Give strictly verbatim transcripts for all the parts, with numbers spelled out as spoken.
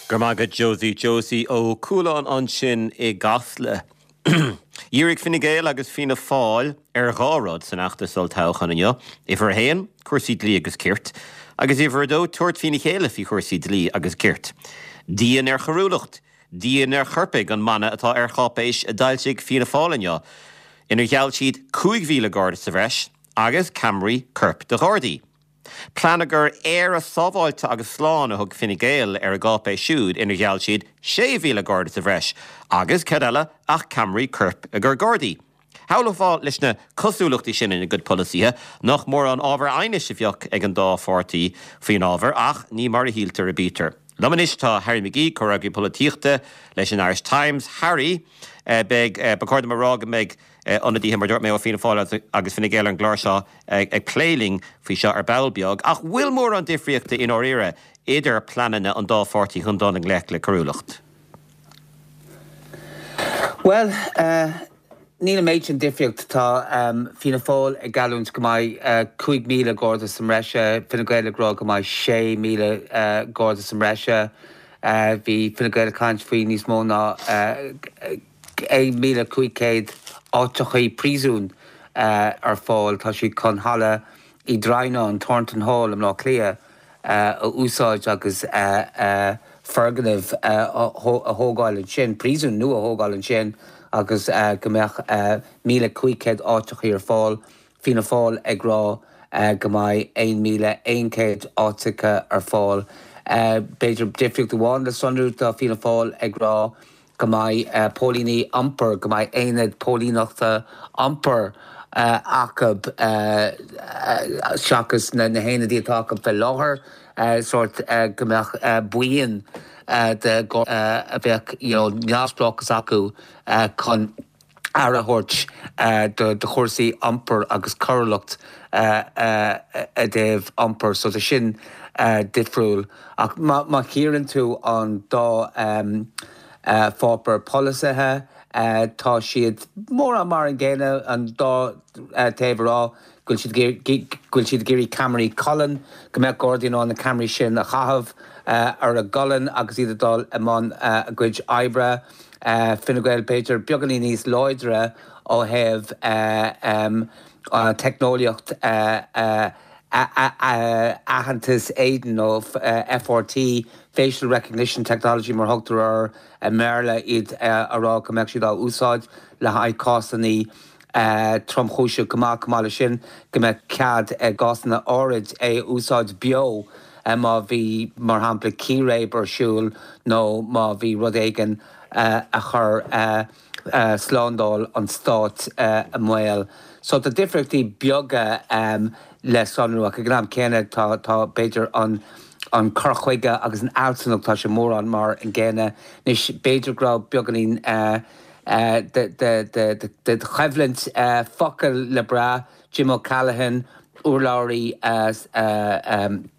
Go maith agat Josie Josie Ó Cualáin ansin i gCasla. Dhírigh Fine Gael agus Fianna Fáil ar dhá rud san fheachtas olltoghcháin inniu, uimhir a haon, cúrsaí dlí agus cirt, agus uimhir a dó, tabhairt faoina chéile faoi chúrsaí dlí agus cirt. Dian ar choiriúlacht, dian ar choirpigh an mana atá ar cháipéis a d'fhoilsigh Fianna Fáil inniu, inar gheall siad cúig mhíle garda sa bhreis agus ceamaraí coirp do Ghardaí. Pleanáil Éire sábháilte agus slán a thug Fine Gael ar a gcáipéis siúd inar gheall siad sé mhíle garda sa bhreis agus cad eile ach ceamaraí coirp i gcarr Gardaí. Shamhlófá leis na cosúlachtaí sin ina gcuid polasaithe nach mórán ábhar aighnis a bheadh ag an dá pháirtí faoin ábhar ach ní mar a shíltear a bítear. Liom anois tá Harry McGee, comhfhreagraí polaitíochta leis an Irish Times. Harry, beidh ba chóir dom a rá go mbeidh ionadaithe mar dúirt mé ó Fianna Fáil agus Fine Gael ar an gclár seo ag plé linn faoi seo ar ball beag, ach bhfuil mórán difríochta i ndáiríre idir pleananna an dá pháirtí chun dul i ngleic le coiriúlacht? Well, uh, níl an méid sin difríocht tá um, Fianna Fáil ag geallúint go mbeidh uh, cúig míle garda sa mbreis, Fine Gael ag rá go mbeidh sé míle uh, garda sa mbreis. Uh, bhí Fine Gael ag caint faoi níos mó ná uh, aon míle cúig chéad áiteachaí príosúin uh, ar fáil tá siad chun halla Uí Dhroighneáin Thornton Hall i mBaile Átha Cliath uh, a úsáid agus uh, uh, foirgneamh uh, a thógáil ansin, príosún nua a thógáil ansin agus uh, go mbeadh uh, míle cúig chéad áiteachaí ar fáil, Fianna Fáil ag rá uh, go mbeidh aon míle aon chéad áiteacha ar fáil. Uh, B'fhéidir difríocht amháin le sonrú tá Fianna Fáil ag rá go mbeidh uh, póilíní iompair, go mbeidh aonad póilíneachta iompair uh, acu uh, uh, seachas na, na haonaid atá acu faoi láthair uh, sort uh, go mbeadh uh, buíon uh, de uh, a bheadh you know, neamhspleáchas acu uh, chun aire a thabhairt uh, do, do chúrsaí iompair agus coiriúlacht uh, uh, i dtaobh iompair, so tá sin uh, difriúil. Ach má, má chíorann tú an dá um, uh, pháipéar polasaithe, uh, tá siad mórán mar an gcéanna an dá uh, taobh rá go bhfuil siad ag iarraidh ceamaraí colainne, go mbeadh Gardaí in ann na ceamaraí sin a chaitheamh uh, ar a gcolainn agus iad ag dul i mbun uh, a gcuid oibre. Uh, Fine Gael b'fhéidir beagáinín níos láidre ó thaobh uh, um, uh, teicneolaíocht uh, uh, aitheantas éadain nó uh, FRT Facial Recognition Technology mar thugtar air i mBéarla iad uh, a rá go mbeadh siad á úsáid le haghaidh cásanna uh, tromchúiseacha go maith go maith sin go mbeadh cead i gcásanna áirid é úsáid beo uh, má bhí mar shampla círéib ar siúl nó má bhí rud éigin uh, a chur uh, uh, slándáil an stát uh, i mbaol. So tá difríochtaí beaga um, le sonrú ach ag an am céanna tá tá b'fhéidir an an cur chuige agus an fhealsúnacht tá sé mórán mar an gcéanna anois b'fhéidir go raibh beagáinín uh, uh, de, de, de, de, de choimhlint uh, focal le brath Jim O'Callaghan urlabhraí uh, uh, um,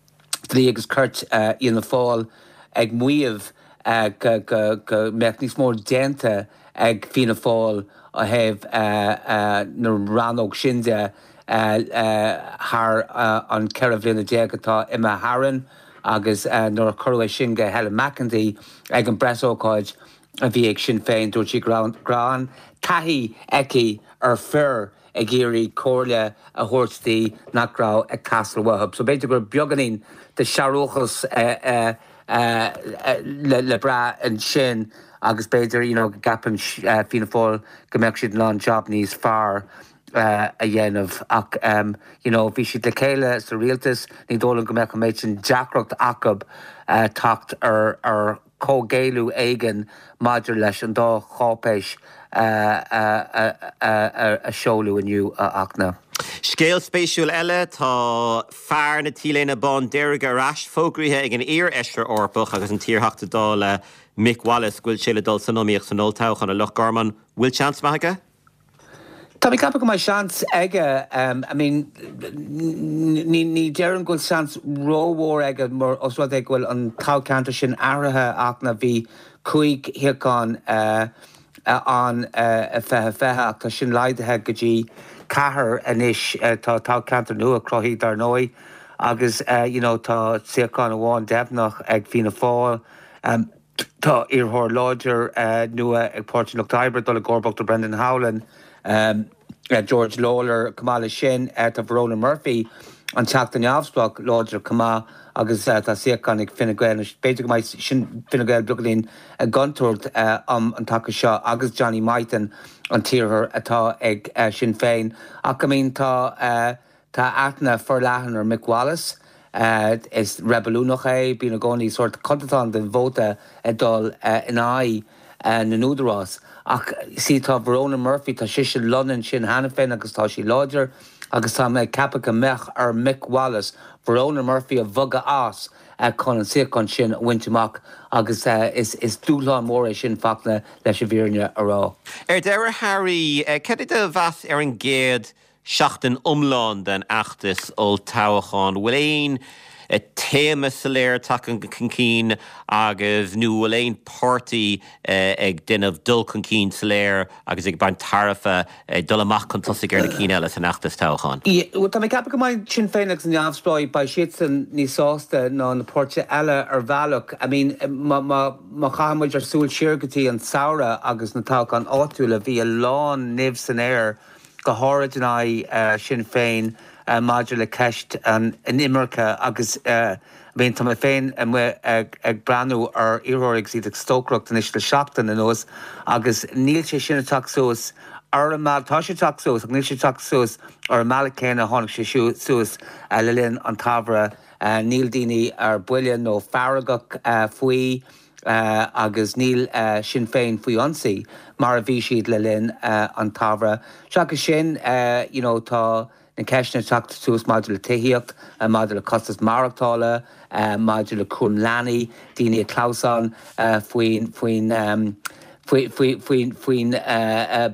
dlí agus cirt uh, Fhianna Fáil ag maíomh uh, go, go, go mbeadh níos mó déanta ag Fianna Fáil ó thaobh uh, uh, na rannóg sin de uh, uh, thar uh, an ceithre bliana déag atá imithe tharainn agus uh, nuair a cuireadh sin go Helen McEntee ag an bpreasócáid a bhí ag Sinn Féin dúirt sí go raibh taithí aici ar fir ag iarraidh comhairle a thabhairt di nach raibh ag teastáil uathu. So b'fhéidir gur beagáinín de searúchas uh, uh, uh, le, le brath ansin agus b'fhéidir you know, go gceapann uh, Fianna Fáil go mbeadh siad an job níos fearr uh, a dhéanamh ach um, you know, bhí siad le chéile sa rialtas ní dóigh liom go mbeadh an méid sin deacracht acu uh, teacht ar ar comhghéilleadh éigin maidir leis an dá cháipéis uh, uh, uh, uh, a seoladh inniu a Fhachtna. Scéal spéisiúil eile tá fear na T-léine bándearg ar ais fógraithe ag an iar-fheisire Eorpach agus an t-iarTheachta Dála Mick Wallace go bhfuil sé le dul san iomaíocht san olltoghchán a Loch Garman bhfuil seans maith aige? Tá mé ag ceapadh go mbeidh seans aige um, I mean, ní ní déarfainn go bhfuil seans rómhór aige mar os rud é go bhfuil an toghcheantar sin athraithe ach na bhí cúig shuíochán uh, an uh, fiche fiche ach tá sin laghdaithe go dtí ceathair anois uh, tá toghcheantar nua cruthaithe dar ndóigh agus uh, you know, tá suíochán amháin deimhneach ag Fianna Fáil um, Tá iarrthóir láidir nua ag Páirtí an Lucht Oibre dul i gcomharbacht ar Brendan Howlin, George Lawlor. Chomh maith leis sin, tá Verona Murphy, an Teachta neamhspleách, láidir chomh maith agus tá suíochán ag Fine Gael. B'fhéidir go mbeidh sin Fine Gael beagáinín i gcontúirt um an taca seo agus Johnny Mythen an t-iarrthóir atá ag Sinn Féin. Ach I mean tá tá aithne forleathan ar Mick Wallace. Is reibiliúnach é, bíonn i gcónaí sórt céatadán den vóta ag dul in aghaidh na n-údarás. Ach see tá Verona Murphy, tá sise lonnaithe ansin cheana féin agus tá sí láidir agus tá mé ag ceapadh go mbeadh ar Mick Wallace Verona Murphy a bhogadh as chun an suíochán sin a bhaint amach agus is is dúshlán mór é sin Fachtna leis an bhfírinne a rá. Ar deireadh Harry, cad é do mheas ar an gcéad seachtain iomlán den fheachtas olltoghcháin? Bhfuil aon téama soiléir tagtha chun cinn agus nó bhfuil aon pháirtí ag déanamh dul chun cinn soiléir agus ag baint tairbhe ag dul amach chun tosaigh ar na cinn eile san fheachtas toghcháin? Well tá mé ag ceapadh go mbeidh Sinn Féin agus an Neamhspleáigh, beidh siadsan níos sásta ná na páirtithe eile ar bhealach. I mean má má chaitheann muid ár súil siar go dtí an samhradh agus na toghcháin áitiúla, bhí a lán nimh san aer go háirid in aghaidh Sinn Féin maidir le ceist an imirce agus I mean tá mé féin amuigh ag ag breathnú ar iarrthóirí agus iad ag stocaireacht anois le seachtain anuas agus níl sé sin ag teacht suas ar an mbealach, tá sé ag teacht suas ach níl sé ag teacht suas ar an mbealach céanna a tháinig sé suas le linn an tsamhraidh. Níl daoine ar buile nó feargach faoi agus níl Sinn Féin faoi ionsaí mar a bhí siad le linn an tsamhraidh. Seachas sin, you know, tá na ceisteanna ag teacht suas maidir le tithíocht, maidir le costas maireachtála, maidir le cúram leanaí, daoine ag clamhsán faoin faoin faoi faoi faoin faoin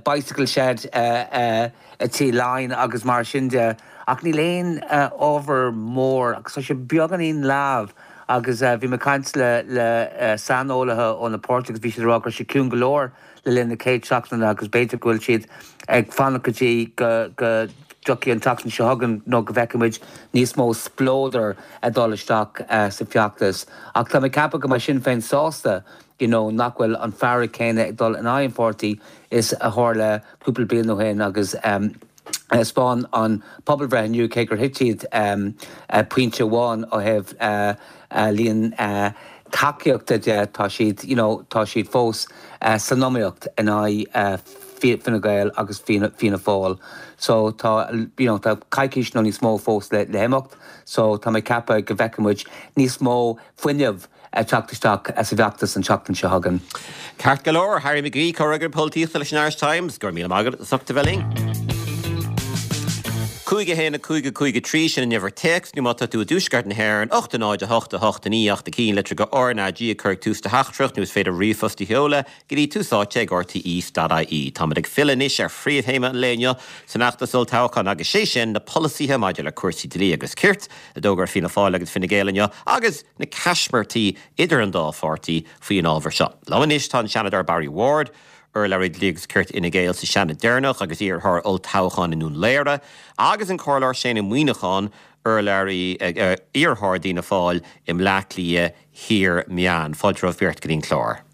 bicycle shed i Tí Laighean agus mar sin de. Ach níl aon ábhar mór agus tá sé beagáinín leamh agus bhí mé ag caint le le saineolaithe ó na páirtithe agus bhí siad ag rá go raibh sé ciúin go leor le linn na chéad seachtaine agus b'fhéidir go bhfuil siad ag fanacht go dtí go go dtiocfaidh an tseachtain seo chugainn nó go bhfeicfidh muid níos mó spleodair ag dul isteach sa bhfeachtas. Ach tá mé ag ceapadh go mbeidh Sinn Féin sásta you know, nach bhfuil an fearg céanna ag dul in aghaidh an pháirtí is a tharla cúpla bliain ó shin agus um, Spáin an pobalbhreith inniu cé gur thit siad um, pointe amháin ó thaobh uh, uh, líon uh, tacaíochta de tá siad you know, tá siad fós uh, san iomaíocht in aghaidh uh, Fine Gael agus Fianna Fáil. So tá you know, tá coicís nó níos mó fós le, le himeacht, so tá mé ag ceapadh go bhfeicfidh muid níos mó fuinneamh ag teacht isteach sa bhfeachtas an tseachtain seo chugainn. Ceart go leor, Harry McGee comhfhreagraí polaitíochta leis an Irish Times, go raibh míle maith agat as ucht a bheith linn. Cúig a haon a cúig a cúig a trí sin an uimhir téacs nó má tá tú i dtuaisceart na hÉireann ocht a náid a hocht a hocht a naoi ocht a ceathair litir go RnaG ag cur tús do theachtaireacht nó is féidir ríomhphost a sheoladh go dtí tús áite ag RTÉ.ie. Táimid ag filleadh anois ar phríomhthéama an lae inniu san fheachtas olltoghcháin agus sé sin na polasaithe maidir le cúrsaí dlí agus cirt a d'fhógair Fianna Fáil agus Fine Gael inniu agus na caismirtí idir an dá pháirtí faoin ábhar seo. Liom anois tá an Seanadóir Barry Ward, urlabhraí dlí agus cirt Fhine Gael sa Seanad deireanach agus iarrthóir olltoghcháin i nDún Laoghaire, agus an Comhairleoir Shane Ó Muimhneacháin, urlabhraí iarrthóir d'Fhianna Fáil i mBleá Cliath Thiar Meán. Fáilte romhaibh beirt go dtí an clár.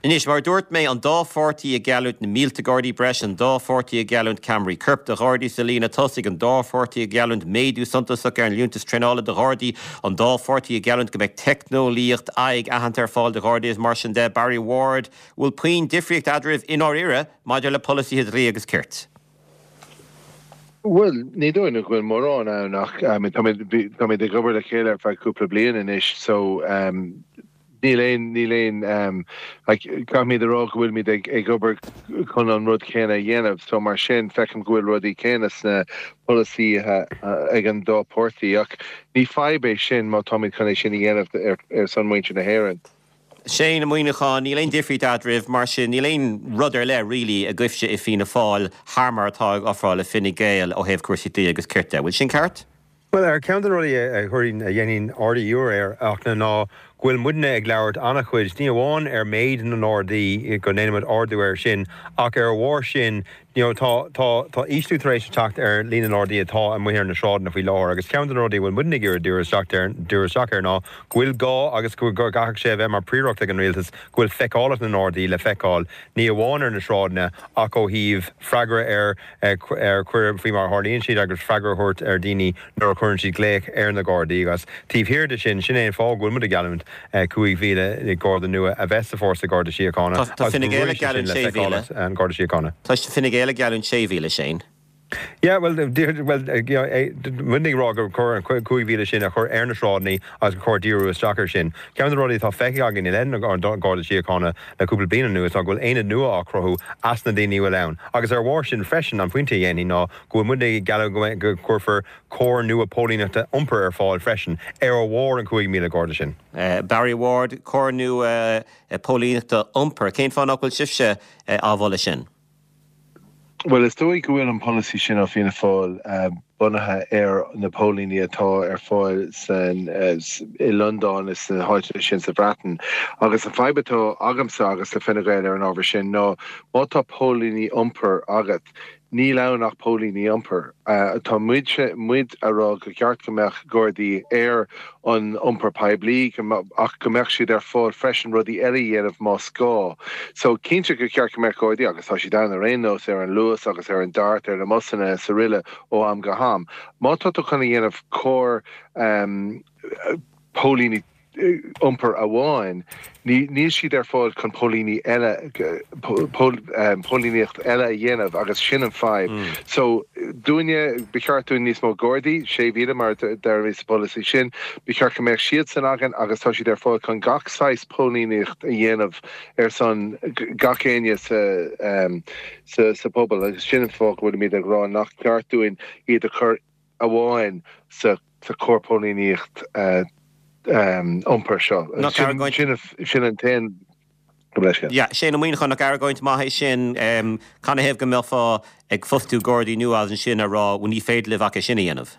Anois, mar a dúirt mé, an dá pháirtí ag geallúint na mílte Gardaí breise, an dá pháirtí ag geallúint ceamaraí coirp do Ghardaí sa líne tosaigh, an dá pháirtí ag geallúint méadú suntasach ar an liúntas traenála do Ghardaí, an dá pháirtí ag geallúint go mbeidh teicneolaíocht aghaidh aitheanta ar fáil do Ghardaí is mar sin de. Barry Ward, bhfuil puinn difríocht eadraibh i ndáiríre maidir le polasaithe dlí agus cirt. Well, ní dóigh go bhfuil mórán ann ach táimid ag obair le chéile ar feadh cúpla bliain anois so um, níl aon níl aon um, like, caithfimid a rá go bhfuilimid ag ag obair chun an rud céanna a dhéanamh, so mar sin feicim go bhfuil rudaí céanna sna polasaithe ag an dá pháirtí ach ní fadhb é sin má táimid chun é sin a dhéanamh ar, ar son muintir na hÉireann. Shane Ó Muimhneacháin, níl aon difríocht eadraibh mar sin níl aon rud ar leith really agaibhse i Fianna Fáil thar mar atá ag ofráil le Fine Gael ó thaobh cúrsaí dlí agus cirt de. Bhfuil sin ceart? Well ar ceann de na rudaí a chuireann a dhéanann ardú air ach ná ná go bhfuil muidne ag labhairt an-chuid, ní amháin ar méid na nGardaí go ndéanaimid ardú air sin, ach ar a bharr sin you know, tá tá tá ísliú tar éis teacht ar líon na nGardaí atá amuigh ar na sráideanna faoi láthair agus ceann de na rudaí a bhfuil muidne ag iarraidh díriú isteach ar díriú isteach air ná go bhfuil gá agus go go gcaithfidh sé a bheith mar phríoracht ag an rialtas go bhfuil feiceálacht na nGardaí le feiceáil ní amháin ar na sráideanna ach ó thaobh freagra ar ar choir faoi mar a tharlaíonn siad agus freagra a thabhairt ar dhaoine nuair a chuireann siad glaoch ar na Gardaí agus taobh thiar de sin sin é an fáth go bhfuil muid ag geallúint cúig mhíle Garda nua a bheith sa fórsa Garda Síochána Tá agus Fine go Gael ag gcuirfidh sé sin geallúint le sé mhíle. feiceálacht an Garda Síochána. Tá Fine Gael ag geallúint sé mhíle Shane. Yeah, well, well, you know, muid ag rá gur chóir an cúig mhíle sin a chur ar na sráideanna agus gur chóir díriú isteach air sin. Ceann de na rudaí atá feicthe againn i leith an Garda Síochána le cúpla bliain anuas ná go bhfuil aonad nua á chruthú as na daoine a bhfuil ann. Agus ar bharr sin freisin an pointe a dhéanfainn ná go bhfuil muid ag gealladh go gcuirfear cór nua póilíneachta iompair ar fáil freisin ar a bharr an cúig mhíle Garda sin. Uh, Barry Ward, cór nua uh, póilíneachta iompair, cén fáth nach bhfuil sibhse uh, á mholadh sin? Well, is dóigh go bhfuil an polasaí sin ó Fianna Fáil uh, bunaithe ar na póilíní atá ar fáil san uh, i Londain is na háiteanna sin sa Bhreatain. Agus an fadhb atá agamsa agus le Fine Gael ar an ábhar sin ná má tá póilíní iompair agat. Níl ann ach póilíní iompair. Uh, tá muid muid ag rá gur cheart go mbeadh Gardaí ar an iompar poiblí ach go mbeadh siad ar fáil freisin rudaí eile a dhéanamh más gá. So cinnte gur cheart go mbeadh Gardaí agus tá siad ann ar aon nós ar an Luas agus ar an DART ar na busanna is araile ó am go ham. Má tá tú chun a dhéanamh cór um, póilíní iompair amháin, níl siad ar fáil chun póilíní eile póilíneacht eile a dhéanamh agus sin an fadhb. Mm. So dúinne ba cheart dúinn níos mó Gardaí sé mhíle mar deir sa polasaí sin, ba cheart go mbeadh siad san againn agus tá siad ar fáil chun gach saghas póilíneacht a dhéanamh ar son gach éinne sa, um, sa, sa pobal agus sin an fáth go bhfuilimid ag rá nach ceart dúinn iad a chur amháin sa sa cór póilíneacht uh, um, iompair seo. Sin an t-aon Ja, sé na chun nach argóint maith sin um, canathaobh go mbeifeá ag fostú Gardaí nua as ansin a rá ní féidir libh ach sin a dhéanamh.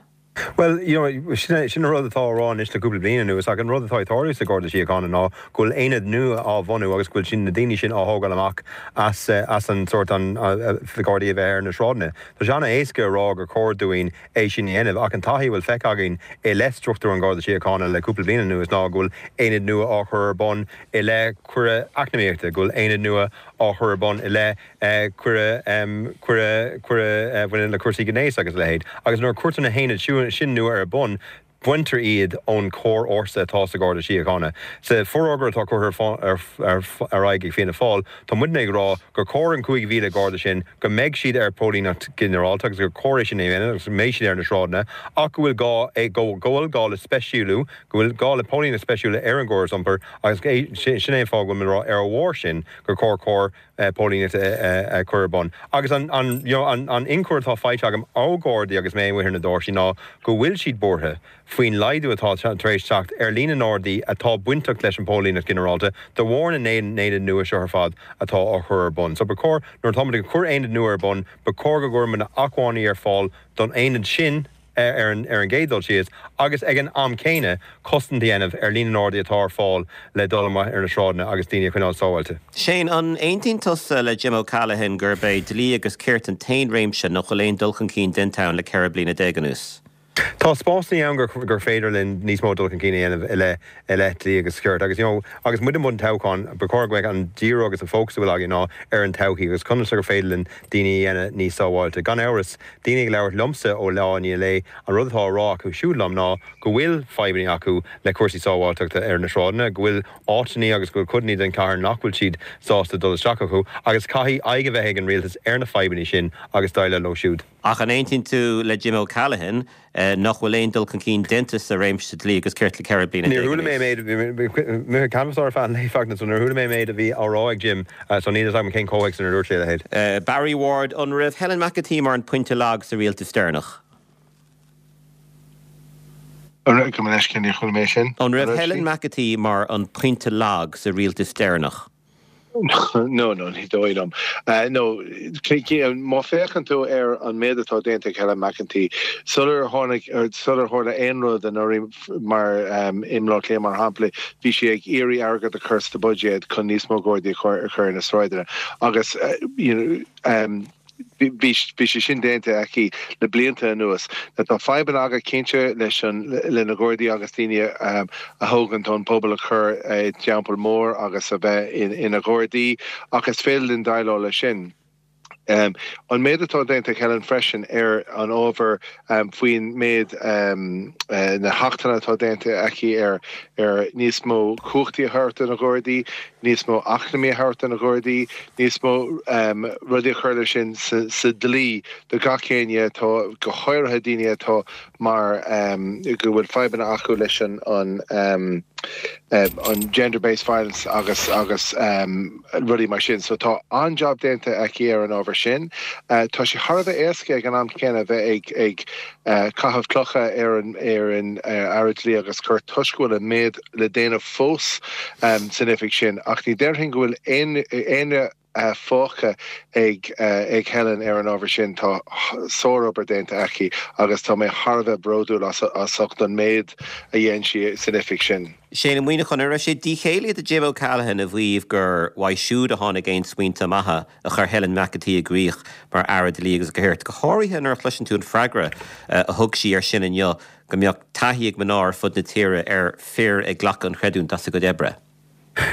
Well, you know, sin sin rud atá á rá anois le cúpla bliain anuas ach an rud atá ag tarlú sa Garda Síochána ná go bhfuil aonad nua á bhunú agus go bhfuil sin na daoine sin á thógáil amach as as an sórt an Gardaí a bheith ar na sráideanna. Tá sé an-éasca a rá gur chóir dúinn é sin a dhéanamh ach an taithí a bhfuil feicthe againn i leith struchtúr an Garda Síochána le cúpla bliain anuas ná go bhfuil aonad nua á chur ar bun i leith coir eacnamaíochta, go bhfuil aonad nua á chur ar bun i leith coir coir coir bhaineann le cúrsaí gnéis agus a leithéid. Agus nuair a chuirtear na haonaid sin nua ar bun, baintear iad ón chomhfhórsa atá sa Garda Síochána. Sa forógra atá curtha ar aghaidh ag Fianna Fáil, tá muidne ag rá gur chóir an cúig mhíle Garda sin go mbeidh siad ar póilíneacht ginearálta agus gur chóir sin é agus mbeidh siad ar na sráideanna ach go bhfuil gá go bhfuil gá le speisialú, go bhfuil gá le póilíneacht speisialta ar an gcóras iompair agus sin é an fáth go bhfuil rá ar a bharr sin gur chóir cór póilíneacht a chur ar bun. Agus an an an an ionchur atá faighte agam ó Ghardaí agus mé amuigh ar na doirsí ná go bhfuil siad buartha faoin laghdú atá tar éis teacht ar líon na nGardaí atá bainteach leis an póilíneacht ginearálta de bharr na n-aonad nua seo ar fad atá á chur ar bun. So ba chóir nuair atáimid ag cur aonad nua ar bun, ba chóir go gcuirfear na acmhainní ar fáil don aonad sin ar an ar an gcéad dul síos agus ag an am céanna cosaint a dhéanamh ar líon na nGardaí atá ar fáil le dul amach ar na sráideanna agus daoine a choinneáil sábháilte. Shane an aontaíonn tusa le Jim O'Callaghan gurb é dlí agus ceart an t-aon réimse nach bhfuil aon dul chun cinn déanta ann le ceithre bliana déag anuas. Tá spásanna ann gur gur féidir linn níos mó dul chun cinn a dhéanamh i leith i leith dlí agus ceart agus you know, agus muid i mbun toghcháin ba chóir go mbeadh an díriú agus an fócas a bhfuil againn ná ar an todhchaí agus conas gur féidir linn daoine a dhéanamh níos sábháilte. Gan amhras daoine ag labhairt liomsa ó lá i ndiaidh lae an rud atá á rá acu siúd liom ná go bhfuil fadhbanna acu le cúrsaí sábháilteachta ar na sráideanna, go bhfuil áiteanna agus go bhfuil codanna den chathair nach bhfuil siad sásta dul isteach acu, agus caithfidh aghaidh a bheith ag an rialtas ar na fadhbanna sin agus déileáil leo siúd. Ach an aontaíonn tú le Jim O'Callaghan nach bhfuil aon dul chun cinn déanta sa réimse dlí agus cirt le ceithre bliana Níor chuala mé méid mé canfar fan léifeachna, so níor chuala mé méid a bhí á rá ag Jim, so níl a fhios agam cén comhthéacs ina dúirt sé a leithéid. Barry Ward an raibh Helen McEntee mar an pointe lag sa rialtas deireanach. Go leis cin chuala mé sin. An raibh Helen McEntee mar an pointe lag sa rialtas deireanach. No, no, ní dóigh liom. Uh, no, má féachann tú ar an méid atá déanta ag Helen McEntee, sular tháinig sular tharla aon rud anuraidh mar um, i mBaile Átha Cliath mar shampla, bhí sí ag iarraidh airgead a chur sa budget chun níos mó Gardaí a chur ar na sráideanna. Agus uh, you know, um, bhí sé sin déanta aici le blianta anuas. Na tá fadhbanna againn cinnte leis an le na Gardaí agus daoine um, a thógann an pobal a chur i dteampall mór agus a bheith in, ina nGardaí ach is féidir linn déileáil leis sin. Um, an méid atá déanta Helen freisin ar an ábhar um, faoin méid um, uh, na hachtanna atá déanta aici ar ar níos mó cumhachtaí a thabhairt do na Gardaí, níos mó acmhainní a thabhairt do na Gardaí, níos mó um, rudaí a chur leis sin sa, sa dlí do gach éinne atá go háirithe daoine atá mar um, go bhfuil fadhbanna acu leis an an um, um, an gender-based violence agus agus um, rudaí mar sin, so tá an-jab déanta aici ar an ábhar sin. Uh, tá sé thar a bheith éasca ag an am céanna bheith ag ag uh, caitheamh clocha ar an ar an uh, Aire Dlí agus Cirt toisc go bhfuil an méid le déanamh fós um, san oifig sin, ach ní déarfainn go bhfuil aon aon uh, fágtha ag uh, ag Helen ar an ábhar sin tá sárobair déanta aici agus tá mé thar a bheith bródúil as as ucht an méid a dhéan sí san oifig sin. Shane Ó Muimhneacháin an raibh sé díchéillí do Jim O'Callaghan a mhaíomh gur uaidh siúd a tháinig aon smaointe maithe a chuir Helen McEntee i gcrích mar Aire Dlí agus Cirt. Go háirithe nuair a chloiseann tú an freagra a thug sí ar sin inniu go mbeadh taithí ag mná ar fud na tíre ar fir ag glacadh an chreidiúint as a gcuid oibre.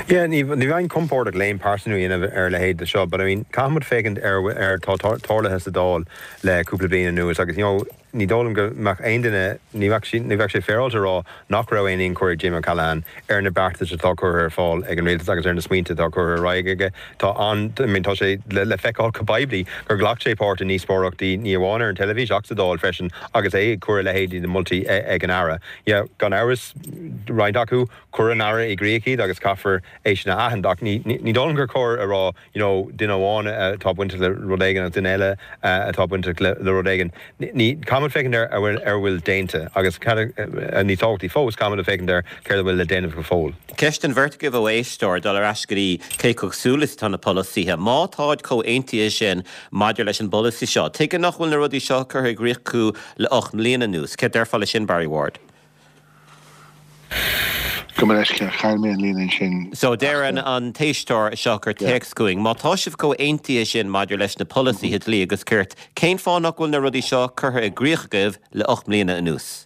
Yeah, ní ní bheinn compordach le haon pearsanú a dhéanamh ar leithéid de seo, but I mean caithfimid féachaint ar ar tá tarlaithe sa Dáil le cúpla bliain anuas agus you know, ní dóigh liom go mbeadh aon duine ní ní bheadh sé féaráilte rá nach raibh aon tionchar ag Jim O'Callaghan ar na beartais atá curtha ar fáil ag an rialtas agus ar na smaointe atá curtha ar aghaidh aige tá an I mean, tá sé le, le feiceáil go poiblí gur ghlac sé páirt i ndíospóireachtaí ní amháin ar an teilifís ach sa Dáil freisin agus é ag cur leithéidí de mholtaí ag an Aire. Yeah, gan amhras roinnt acu chuir an Aire i gcrích iad agus caithfear é sin a aithint ach ní ní dóigh liom gur cóir a rá you know, duine amháin atá bainteach le rud éigin agus duine eile atá bainteach le, le rud éigin. Ní caithfimid féachaint ar ar bhfuil ar bhfuil déanta agus ní tábhachtaí fós caithfimid féachaint ar céard a bhfuil le déanamh go fóill. Ceist don bheirt agaibh ó éisteoir dul ar ais go dtí cé chomh cosúil is atá na polasaithe. Má táid chomh haontaithe sin maidir leis an bpolasaí seo. Tuige nach bhfuil na rudaí seo curtha i gcrích acu le ocht mbliana anuas, Cé déarfá leis sin Barry Ward. Go leis chaill mé an líne sin. So deir an an t-éisteoir seo a chuir téacs chugainn, Má tá sibh chomh haontaithe sin maidir leis na polasaithe dlí agus cirt, cén fáth nach bhfuil na rudaí seo curtha i gcrích agaibh le ocht mbliana anuas.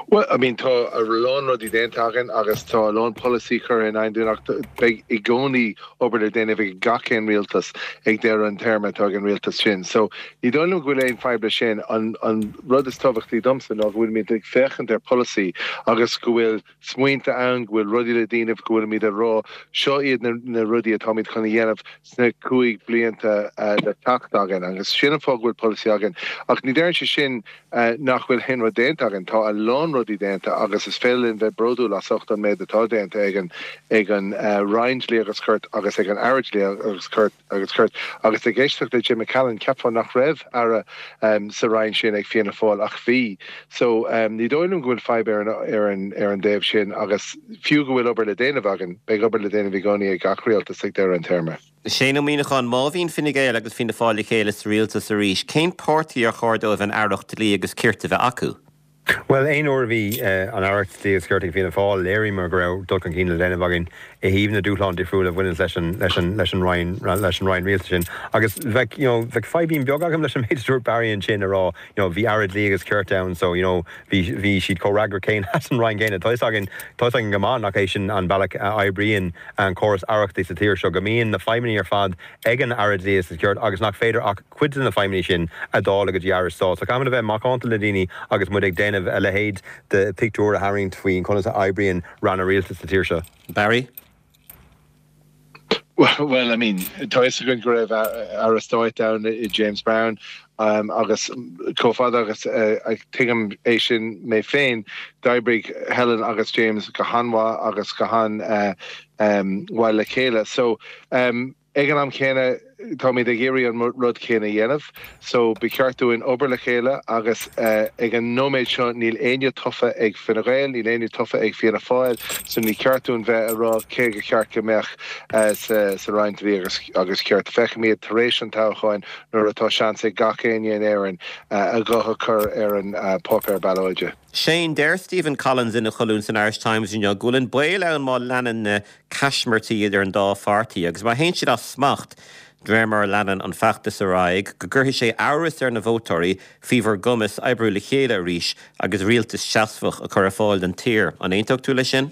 Well, I mean tá a lán rudaí déanta againn agus tá a lán polasaí curtha in ach beidh i gcónaí obair le déanamh ag gach aon rialtas ag deireadh an téarma atá an rialtas sin. So ní dóigh liom go bhfuil aon fadhb leis sin an, an rud is tábhachtaí domsa ná go bhfuil muid ag féachaint ar polasaí agus go bhfuil smaointe ann go bhfuil rudaí le déanamh go bhfuil muid ag rá seo iad na, na rudaí atáimid chun a dhéanamh sna cúig blianta uh, le teacht againn agus sin an fáth go bhfuil polasaí againn. Ach ní deireann sé sin uh, nach bhfuil aon rud déanta againn tá a lán rudaí déanta agus is féidir linn bheith bródúil as ucht an méid atá déanta ag an ag an uh, Roinn Dlí agus Cirt agus ag an Aire Dlí agus Cirt agus Cirt agus ag éisteacht le Jim McCallan cheapfá nach raibh aire um, sa Roinn sin ag Fianna Fáil ach bhí. So um, ní dóigh liom go bhfuil fadhb ar an ar an ar an dtaobh sin agus fiú go bhfuil obair le déanamh againn beidh obair le déanamh i gcónaí ag gach rialtas ag deireadh an téarma. Shane Ó Muimhneacháin má bhíonn Fine Gael agus Fianna Fáil le chéile sa rialtas arís, cén páirtí ar chóir dóibh an aireacht dlí agus cirt a bheith acu? Well aon uair a bhí an aireacht dlí agus cirt ag Fianna Fáil léiríomar go raibh dul chun cinn le déanamh againn i dtaobh na dúshlán difriúil a bhaineann leis an leis an leis an Roinn leis an Roinn rialtais sin. Agus bheadh you know, bheadh fadhb beag agam leis an méid a dúirt Barry ansin a rá you know, bhí aire dlí agus cirt ann so you know, bhí bhí siad comhfhreagrach céin as an Roinn céanna. Tá againn tá againn go maith nach é sin an bealach a oibríonn an córas aireachta sa tír seo go mbíonn na feidhmeanna ar fad ag an aire dlí agus cirt agus nach féidir ach cuid de na feidhmeanna sin a dháileadh go dtí aire stáit. So caithfimid a bheith macánta le daoine agus muid ag déanamh a leithéid de pictiúr a tharraingt faoin conas a oibríonn ranna rialtais sa tír seo. Barry? Well, well, I mean, tá againn go raibh aire stáit ann i James Browne um, agus chomh fada agus uh, tuigim é sin mé féin d'oibrigh Helen agus James go han-mhaith agus go han uh, um, well le chéile. So um, ag an am céanna táimid ag iarraidh an rud céanna a dhéanamh, so ba cheart dúinn obair le chéile agus uh, ag an nóiméad seo níl éinne tofa ag Fine Gael, níl éinne tofa ag Fianna Fáil, so ní ceart dúinn bheith ag rá cé gur cheart go mbeadh uh, sa, sa Roinn Dlí agus, agus Cirt feicfimid tar éis an toghcháin nuair atá seans ag gach éinne in Éirinn uh, a guth a chur ar an uh, páipéar ballóide. Shane deir Stephen Collins ina cholún san Irish Times inniu go bhfuil an baol ann má leanann na caismirtí idir an dá pháirtí agus má théann siad as smacht de réir mar a leanann an feachtas ar aghaidh, go gcuirfidh sé amhras ar na vótóirí faoi bhur gcumas oibriú le chéile arís agus rialtas seasmhach a chur ar fáil don tír. An aontódh tú leis sin?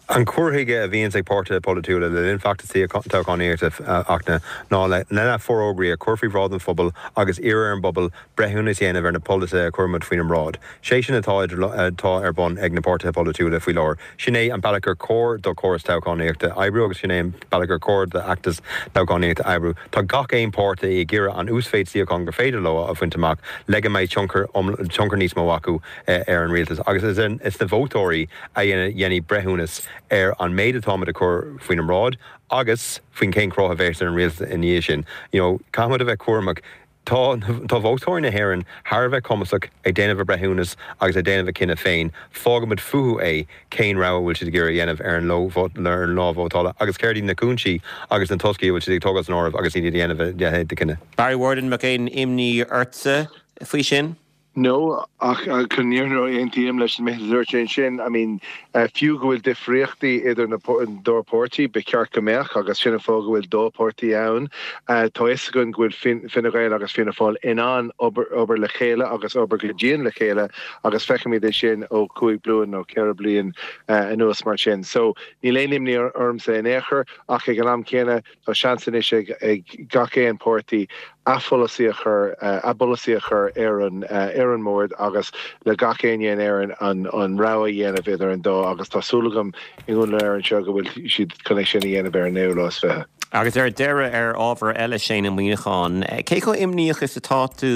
An cur chuige a bhíonns ag páirtithe polaitiúla le linn feachtasaí toghchánaíochta, a Fhachtna, ná lena bhforógraí a chur faoi bhráid an phobail agus iarraidh ar an bpobal breithiúnas a dhéanamh ar na polasaithe a chuirimid faoina mbráid. Sé sin atá atá ar bun ag na páirtithe polaitiúla faoi láthair. Sin é an bealach gur chóir do chóras toghchánaíochta oibriú agus sin é an bealach gur chóir d'fheachtas toghchánaíochta oibriú. Tá gach aon páirtí ag iarraidh an uasmhéid suíochán gur féidir leo a bhaint amach le go mbeidh tionchar tionchar níos mó acu ar an rialtas agus is is na vótóirí a dhéanfaidh breithiúnas ar an méid atáimid a chur faoina mbráid agus faoin cén cruth a bheas ar an rialtas ina dhiaidh sin. You know, caithfimid a bheith cúramach. Tá tá vótóirí na hÉireann thar a bheith cumasach ag déanamh a breithiúnas agus ag déanamh a cinneadh féin. Fágaimid fúthu é cén rogha a bhfuil siad ag iarraidh a dhéanamh ar an ar an lá vótála agus céard iad na cúinsí agus na toscaí a bhfuil siad ag tógáil san áireamh agus iad ag déanamh a leithéid de chinneadh. Barry Ward, an mbeadh aon imní ortsa faoi sin? No, ach chun an fhírinne aontaím leis an méid a dúirt sé ansin. I mean, fiú go bhfuil difríochtaí idir na dá pháirtí, ba cheart go mbeadh agus sin an fáth go bhfuil dá pháirtí ann. Tá fhios againn go bhfuil Fine Gael agus Fianna Fáil in ann obair obair le chéile agus obair go dian le chéile agus feicimid é sin ó cúig bliain nó ceithre bliain anuas mar sin. So níl aon imní ormsa in aon chor ach ag an am céanna tá seans anois ag ag gach aon páirtí a pholasaí a chur a bpolasaí a chur ar an ar an mbord agus le gach éinne in Éirinn an an rogha a dhéanamh idir an dá agus tá súil agam i nDún Laoghaire anseo go bhfuil siad chun é sin a dhéanamh ar an naoú lá is fiche. Agus ar deireadh ar ábhar eile Shane Ó Muíneacháin, cé chomh imníoch is atá tú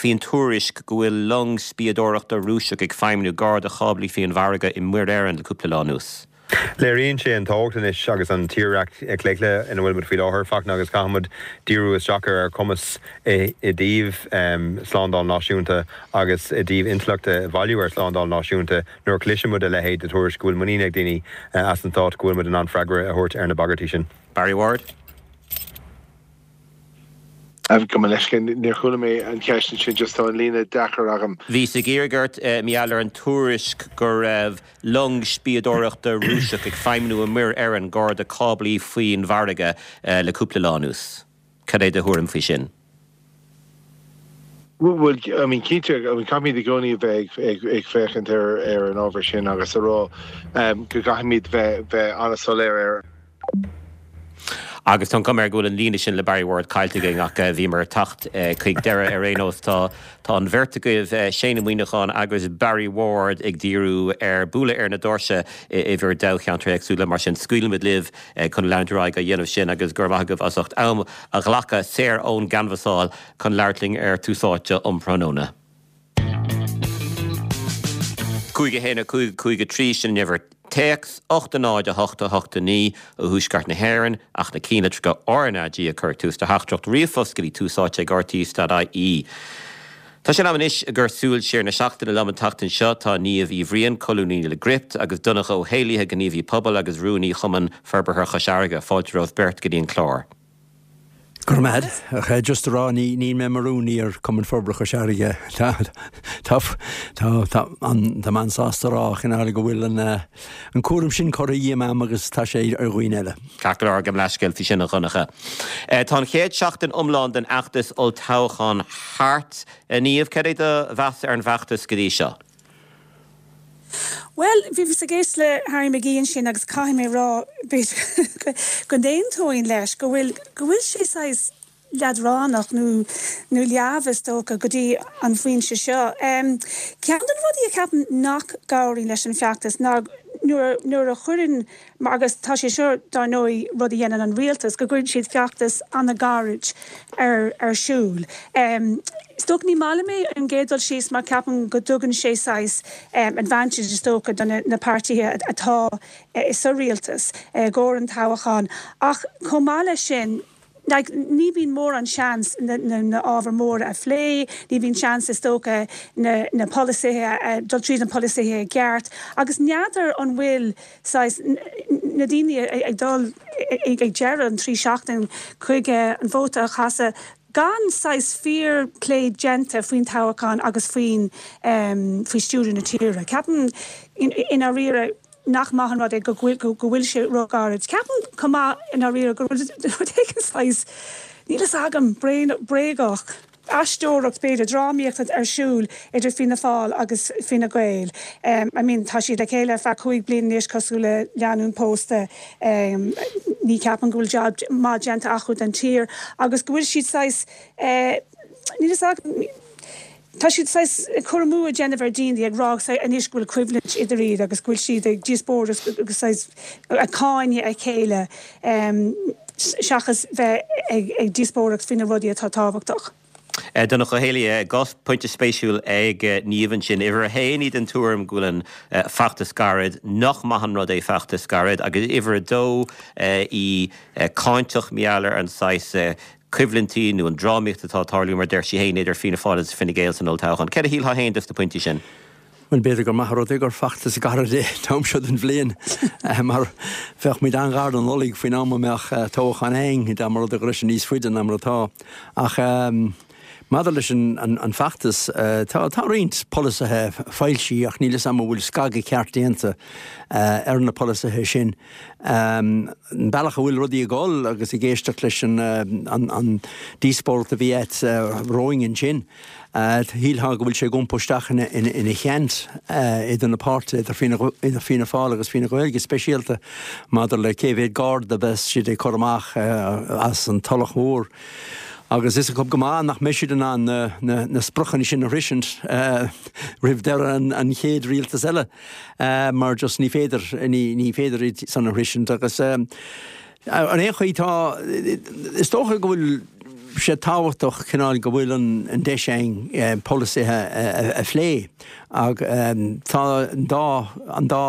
faoin tuairisc go bhfuil long spiadóireachta Rúiseach ag feidhmiú gar do cháblaí faoin bhfarraige i Muir Éireann le cúpla lá anuas? Léiríonn sé an tábhacht anois agus an tírdhreach claochlaithe ina bhfuil muid faoi láthair, Fachtna, agus caithfimid díriú isteach ar ár gcumas i dtaobh slándáil náisiúnta agus i dtaobh intleacht a bhailiú ar shlándáil náisiúnta nuair a chloiseann muid a leithéid de tuairisc go bhfuil muinín ag daoine as an stát go bhfuil muid in ann freagra a thabhairt ar na bagairtí sin. Barry Ward. Gabh mo leithscéal, níor chuala mé an cheist ansin, just tá an líne deacair agam. Bhíos ag iarraidh ort, mar gheall ar an tuairisc go raibh long spiadóireachta Rúiseach ag feidhmiú i Muir Éireann gar do cáblaí faoin bhfarraige le cúpla lá anuas. Cad é do thuairim faoi sin? Bhuel, I mean, cinnte, I mean, caithfimid i gcónaí a bheith ag, ag, ag féachaint ar, ar an ábhar sin agus a rá um, go gcaithfimid bheith, bheith an-soiléir ar Agus tá an chuma air go bhfuil an líne sin le Barry Ward caillte againn ach bhíomar ag teacht chuig deireadh ar aon nós. Tá tá an bheirt agaibh, Shane Ó Muíneacháin agus Barry Ward ag díriú ar bualadh ar na doirse i bhur dtoghcheantair éagsúla. Mar sin scaoilfimid libh chun leanúint ar aghaidh á dhéanamh sin agus go raibh maith agaibh as ucht am a ghlacadh saor ón gcanbhasáil chun labhairt linn ar Tús Áite um thráthnóna. Cúig a haon a cúig a cúig a trí sin an uimhir téacs, ocht a náid a hocht a hocht a naoi ó thuaisceart na hÉireann ach na ceannlitreacha RnaG a chur ag tús do theachtaireacht ríomhphost go dtí tús áite ag rte.ie. Tá sé in am anois ag cur súil siar na seachtaine liom an tseachtain seo tá Niamh Uí Bhriain, colúnaí le Gript, agus Donncha Ó hÉallaithe, gníomhaí pobail agus rúnaí Chumann Forbartha Chois Fharraige. Fáilte romhaibh beirt go dtí an clár. Go raibh maith agat. Ach just a rá, ní níl mé mar rúnaí ar Chumann Forbartha Chois Fharraige. Tá tá tá tá an tá mé an-sásta a rá cineál go bhfuil an an cúram sin curtha díom agam agus tá sé ar dhaoine eile. Ceart go leor, gabh mo leithscéal faoi sin a Dhonncha. Tá an chéad seachtain iomlán den fheachtas olltoghcháin thart. A Niamh, cad é do mheas ar an bhfeachtas go dtí seo? Bhuel, bhíos ag éisteacht le Harry McGee ansin agus caithfidh mé rá b'fhéidir go n-aontóinn leis go bhfuil go bhfuil sé saghas leadránach nó nó leamh is dócha go dtí an phointe seo. Um, ceann de na rudaí a cheapaim nach gcabhraíonn leis an feachtas ná nuair nuair a chuireann agus tá sé seo dar ndóigh rud a dhéanann an rialtas go gcuireann siad feachtas an-ghairid ar ar siúl. Um, is dócha ní maith liom é an gcéad dul síos mar ceapaim go dtugann sé saghas um, advantage is dócha do na, na páirtithe atá uh, sa rialtas uh, i gcomhair an toghcháin ach chomh maith leis sin like, ní bhíonn mórán seans na, na, na ábhair mhóra a phlé, ní bhíonn seans is dócha na, na polasaithe dul tríd na polasaithe i gceart, agus n'fheadar an bhfuil saghas na daoine ag dul ag deireadh an trí seachtain chuig an vóta a chaitheamh gan saghas fíorphlé déanta faoin toghchán agus faoin um, faoi stiúradh na tíre. Ceapaim i ndáiríre nach maith an rud é go bhfuil go bhfuil sé róghairid. Ceapaim chomh maith i ndáiríre go rud éigin saghas níl fhios agam, bréagach, aisteoireacht b'fhéidir, drámaíocht ar siúl idir Fianna Fáil agus Fine Gael. I mean tá siad le chéile ar feadh cúig bliana anois cosúil le lánúin pósta. Ní cheapaim go bhfuil jab maith déanta acu don tír agus go bhfuil siad saghas, níl fhios agam, tá siad saghas cur amú a dhéanamh ar dhaoine ag rá anois go bhfuil coimhlint idir iad agus go bhfuil siad ag díospóireacht agus saghas ag cáineadh a chéile seachas bheith ag díospóireacht faoi na rudaí atá tábhachtach. Donncha Ó hÉalaithe, dhá phointe spéisiúil ag Niamh ansin. Uimhir a haon, í den tuairim go bhfuil an feachtas gairid, nach maith an rud é feachtas gairid, agus uimhir a dó, í cáinteach mar gheall ar an saghas coimhlintí nó an drámaíocht atá ag tarlú, mar a deir sí féin, idir Fianna Fáil agus Fine Gael san olltoghchán. Céard a shílfeá féin dos na pointí sin? Bhuel, b'fhéidir gur maith an rud é gur feachtas gairid é an t-am seo den bhliain, mar bheadh muid an-ghar don Nollaig faoin am a mbeadh toghchán againn, dá mba rud é go raibh sé níos faide ná mar atá. Ach maidir leis an bhfeachtas, tá tá roinnt polasaithe foilsithe ach níl 'fhios a'm an bhfuil scagadh ceart déanta ar na polasaithe sin. An bealach a bhfuil rudaí ag dul agus ag éisteacht leis an díospóireacht a bhí a't romhainn ansin, shílfeá go bhfuil sé ag iompú isteach ina sheans idir na páirtithe, idir Fianna Fáil agus Fine Gael go speisialta maidir le cé mhéad garda a bheas siad ag cur amach as an Tulach Mhór. Agus is acu go maith nach mbeidh siad in ann na spriocanna sin a shroisint roimh deireadh an chéad rialtas eile mar just ní féidir, ní féidir iad san a shroisint. Agus ar aon chaoi tá, is dócha go bhfuil sé tábhachtach cineál go bhfuil an deis againn polasaithe a phlé ach tá an dá, an dá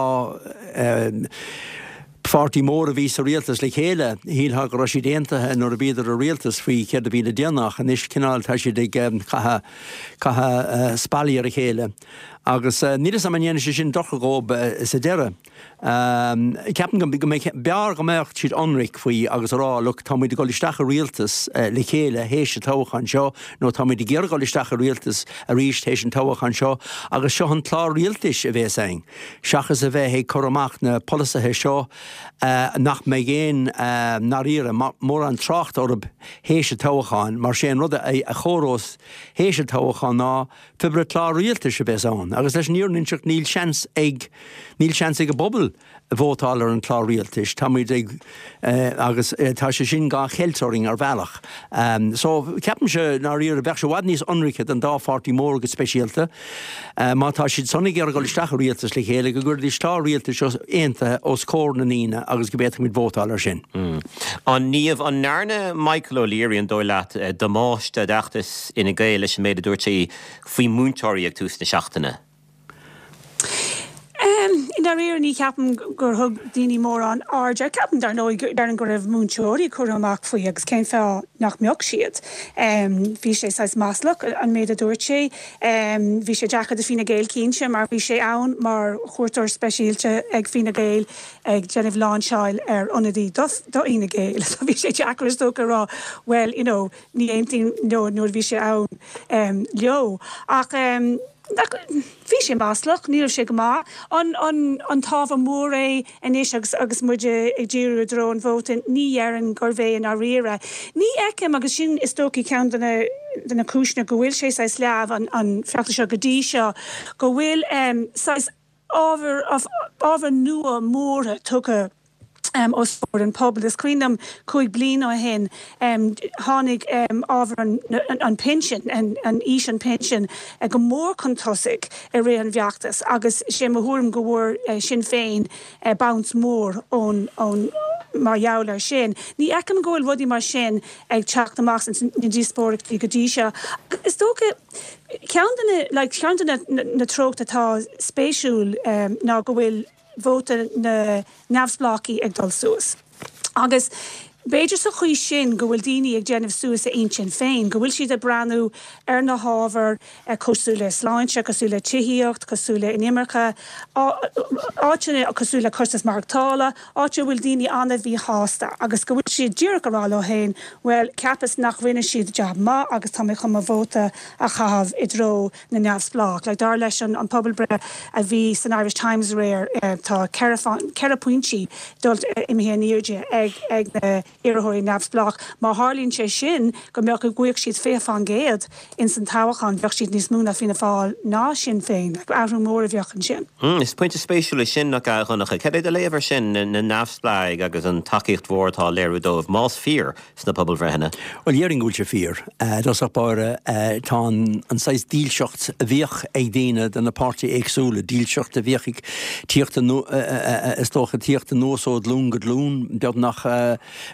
pháirtí mór a bhí sa rialtas le chéile, shílfeá go raibh siad aontaithe nuair a bhíodar i rialtas faoi céard a bhí le déanamh ach anois cineál tá siad ag caitheamh caitheamh spallaí ar a chéile agus níl 'fhios a'm an ndéanfaidh sé sin dochar dhóib sa deireadh. Ceapaim go mbeadh b'fhearr go mbeadh siad ionraic faoi agus a rá look tá muid ag dul isteach i rialtas le chéile théis an toghcháin seo nó tá muid ag iarraidh dul isteach i rialtas arís théis an toghcháin seo agus seo an clár rialtais a bhéas againn. Seachas a bheith ag cur amach na polasaithe seo nach mbeidh aon ndáiríre mórán trácht orthu théis an toghcháin, mar sé an rud a chomhairós théis an toghcháin ná pé clár rialtais a bheas ann. Agus leis an fhírinne a inseacht níl seans ag níl seans ag an bpobal vótáil ar an chlár rialtais. Tá muid ag agus tá sé sin dhá cheilt orainn ar bhealach. So ceapaimse ndáiríre bheadh sé i bhfad níos ionraice don dá pháirtí mór go speisialta má tá siad san ag iarraidh dul isteach i rialtas le chéile go gcuirfidís clár rialtais aontaithe os comhair na ndaoine agus go bhféadfadh muid vótáil ar sin. A Niamh, an ndearna Michael O'Leary, an dóigh leat, damáiste d'fheachtas Fhine Gael leis an méid a dúirt sé faoi mhúinteoirí ag tús na seachtaine? I ndáiríre ní cheapaim gur thug daoine mórán aird air. Ceapaim, dar ndóigh, déarfainn go raibh múinteoirí curtha amach faoi agus cén fáth nach mbeadh siad? Bhí sé saghas maslach, an méid a dúirt sé. Bhí sé deacair do Fine Gael cinnte mar bhí sé ann mar chuairteoir speisialta ag Fine Gael ag déanamh láinseáil ar ionadaí do Fhine Gael. So bhí sé deacair is dócha a rá well, you know, ní aontaím leo nuair a bhí sé ann leo. Ach bhí sé maslach, ní raibh sé go maith. An an t-ábhar mór é anois agus agus muid ag díriú i dtreo an vóta? Ní dhéarfainn gurbh é i ndáiríre. Ní fheicim, agus sin is dóichí ceann de na de na cúiseanna go bhfuil sé saghas leamh an an feachtas seo go dtí seo, go bhfuil saghas ábhar ábhar nua mór tugtha os comhair an phobail. Is cuimhin liom cúig bliana ó shin tháinig ábhar an pinsin, an aois an pinsin, go mór chun tosaigh i rith an bhfeachtais agus sé mo thuairim go bhfuair Sinn Féin bounce mór ón ón mar gheall air sin. Ní fheicim go bhfuil rudaí mar sin ag teacht amach sna díospóireachtaí go dtí seo. Is dócha ceann de na like ceann de na na treochtaí atá spéisiúil ná go bhfuil vóta na neamhspleáchaí ag dul suas. Agus b'fhéidir sa chaoi sin go bhfuil daoine ag déanamh suas a intinn féin, go bhfuil siad ag breathnú ar na hábhair cosúil le sláinte, cosúil le tithíocht, cosúil le inimirce, áiteanna cosúil le costas maireachtála, áit a bhfuil daoine an-mhíshásta agus go bhfuil siad díreach ag rá leo féin, bhuel, cheapas nach rinne siad jab maith agus tá mé chun mo vóta a chaitheamh i dtreo na neamhspleách. Like, dar leis an pobalbhreith a bhí san Irish Times aréir, tá ceithre pointí dul imithe in airde ag ag na iarrthóirí neamhspleách. Má tharlaíonn sé sin go mbeadh go bhfaigheadh siad fiche faoin gcéad ins an toghchán, bheadh siad níos mó ná Fianna Fáil ná Sinn Féin. Athrú mór a bheadh ansin. Is pointe spéisiúil é sin, nach ea, a Dhonncha? Cad é do léamh air sin, na neamhspleáigh agus an tacaíocht mhór atá á léiriú dóibh, más fíor, sna pobalbhreitheanna? Bhuel, déarfainn go bhfuil sé fíor. I dtosach báire, tá an saghas dílseacht a bhíodh ag daoine do na páirtithe éagsúla, dílseacht a bhíodh ag tíocht is dócha tíocht anuas ó ghlúin go glúin, beagnach.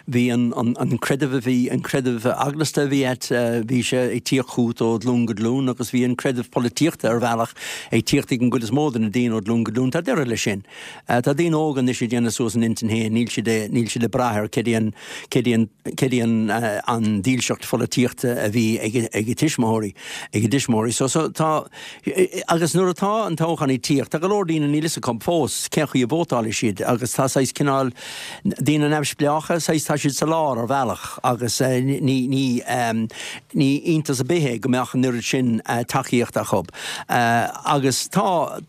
Bhí an creideamh a bhí, an creideamh eaglasta a bhí a't, bhí sé ag tíocht chugat ó ghlúin go glúin agus bhí an creideamh polaitíochta ar bhealach ag tíocht ag an gcuid is mó de na daoine ó ghlúin go glúin. Tá deireadh leis sin. Tá daoine óga anois ag déanamh suas a n-intinn féin, níl siad, níl siad ag brath ar cad é an, cad é an, cad é an, an dílseacht pholaitíochta a bhí ag, ag a tuismitheoirí, ag a dtuismitheoirí. So, so tá, agus nuair atá an toghchán ag tíocht, tá go leor daoine níl fhios acu fós cén chaoi a vótálfaidh siad agus tá saghas cineál daoine neamhspleácha, saghas tá siad sa lár ar bhealach agus ní, ní, ní iontas ar bith é go mbeadh an oiread sin tacaíocht acu. Agus tá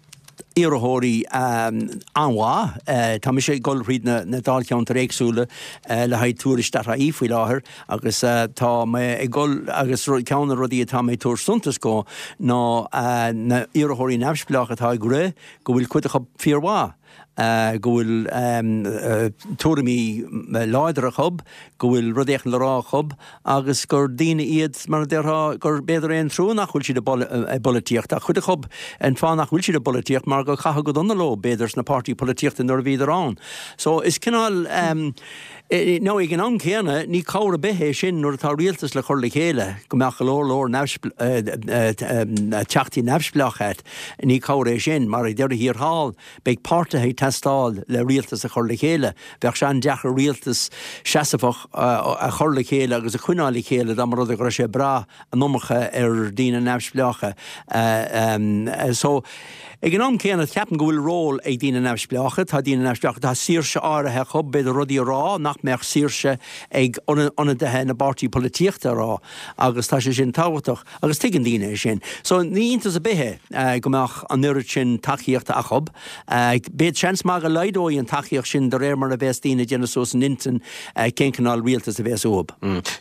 iarrthóirí an-mhaith. Tá mise ag dul thríd na na dáilcheantair éagsúla le haghaidh tuairisc dot ie faoi láthair agus tá mé ag dul agus ceann de na rudaí atá mé ag tabhairt suntas dó ná na iarrthóirí neamhspleácha atá ag rith go bhfuil cuid acu fíormhaith. go bhfuil tuairimí láidre acu, go bhfuil rud éicint le rá acu agus gur daoine iad, mar a déarfá, gur b'fhéidir é an trua nach bhfuil siad i bpolaitíocht. Ach cuid acu, an fáth nach bhfuil siad i bpolaitíocht mar gur caitheadh go dona leo, b'fhéidir, sna páirtí polaitíochta nuair a bhíodar ann. So is cineál, nó ag an am céanna, ní cabhair ar bith é sin nuair atá rialtas le cur le chéile, go mbeadh go leor leor teachtaí neamhspleách a't. Ní cabhair é sin, mar ag deireadh thiar thall, Beidh páirtithe ag teastáil le rialtas a chur le chéile. Bheadh sé an-deacair rialtas seasmhach a chur le chéile agus a choinneáil le chéile dá mba rud é go raibh sé ag brath an iomarca ar daoine neamhspleácha. So, ag an am céanna, ceapaim go bhfuil ról ag daoine neamhspleácha. Tá daoine neamhspleácha, tá saoirse áirithe acu, b'fhéidir rudaí a rá nach mbeadh saoirse ag ionadaithe na bpáirtí polaitíochta a rá agus tá sé sin tábhachtach. Agus tuigeann daoine é sin. So ní iontas ar bith é go mbeadh an oiread sin tacaíochta acu. Beidh seans maith go laghdóidh an tacaíocht sin de réir mar a bheas daoine ag déanamh suas a n-intinn cén cineál rialtas a bheas uathu.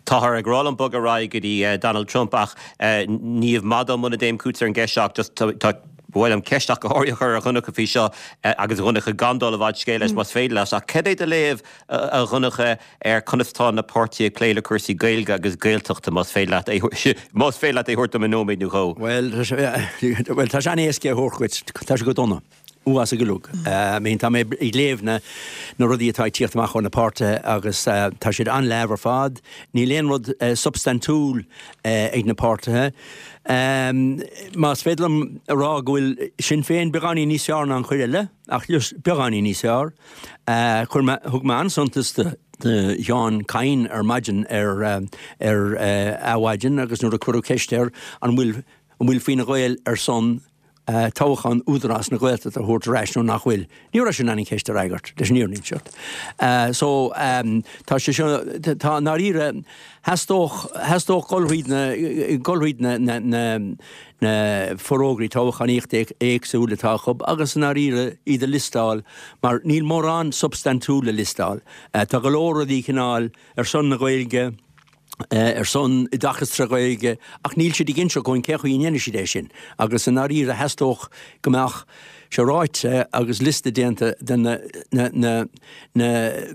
Táthar ag rá liom bogadh ar aghaidh go dtí Donald Trump ach Niamh, maith dom muna dtéim chugatsa ar an gceist seo ach just tá ba mhaith liom ceist ach go háirithe a chur ar Dhonncha faoi seo agus a Dhonncha gan dul i bhfad scéil leis más féidir leat ach cad é do léamh a Dhonncha ar conas tá na páirtithe ag plé le cúrsaí Gaeilge agus Gaeltachta más féidir leat é más féidir leat é a thabhairt dom i nóiméad nó dhó. Bhuel bhuel tá sé an-éasca é a thabhairt dhuit, tá sé go dona. Uafásach uilig. I mean tá mé ag léamh na na rudaí atá ag tíocht amach ó na páirtithe agus tá siad an-leamh ar fad. Níl aon rud substaintiúil ag na páirtithe. Más féidir liom a rá go bhfuil Sinn Féin beagáinín níos fearr ná an chuid eile, ach just beagáinín níos fearr. Chuir mé, thug mé an-suntas do Sheán Kyne ar maidin ar ar Adhmhaidin agus nuair a cuireadh ceist air an bhfuil an bhfuil Fine Gael ar son toghchán Údarás na Gaeltachta a thabhairt ar ais nó nach bhfuil. Ní raibh sé in ann an cheist a fhreagairt, leis an fhírinne a inseacht. So tá sé seo, tá i ndáiríre, theastódh, theastódh dul thríd na, dul thríd na, na, na, na forógraí toghchánaíochta éagsúla atá acu agus i ndáiríre iad a liostáil mar níl mórán substaintiúil le liostáil. Tá go leor rudaí cineál ar son na Gaeilge, ar son oideachas trí Ghaeilge ach níl siad ag inseacht dhúinn cén chaoi a ndéanfaidh siad é sin agus i ndáiríre theastódh go mbeadh sé ráite agus liosta déanta de na na na na